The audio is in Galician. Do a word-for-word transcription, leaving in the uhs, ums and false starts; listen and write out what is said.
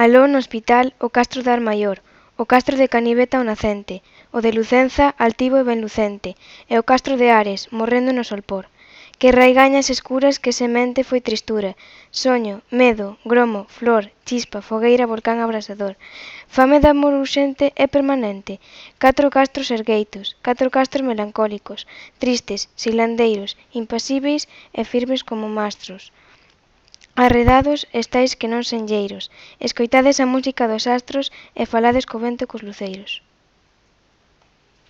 Aló no hospital o castro de Armaior, o castro de Caniveta o nacente, o de Lucenza altivo e ben lucente, e o castro de Ares, morrendo no solpor. Que raigañas escuras, que semente foi tristura, soño, medo, gromo, flor, chispa, fogueira, volcán abrasador. Fame de amor urxente e permanente, catro castros ergueitos, catro castros melancólicos, tristes, silandeiros, impasíveis e firmes como mastros. Arredados estáis que non senlleiros, escoitades a música dos astros e falades co vento e cos luceiros.